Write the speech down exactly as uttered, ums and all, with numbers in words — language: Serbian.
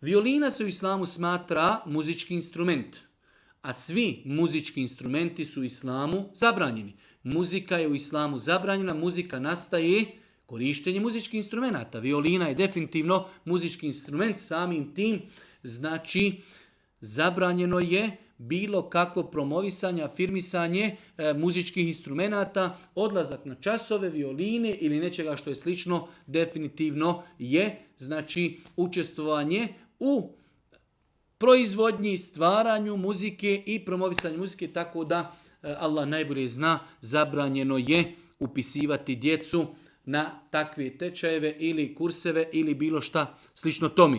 Violina se u islamu smatra muzički instrument, a svi muzički instrumenti su u islamu zabranjeni. Muzika je u islamu zabranjena, muzika nastaje korištenje muzičkih instrumenata. Violina je definitivno muzički instrument, samim tim znači zabranjeno je bilo kakvo promovisanje, afirmisanje e, muzičkih instrumenata, odlazak na časove, violine ili nečega što je slično, definitivno je znači učestvovanje u proizvodnji, stvaranju muzike i promovisanju muzike, tako da e, Allah najbolje zna, zabranjeno je upisivati djecu na takve tečajeve ili kurseve ili bilo šta slično tome.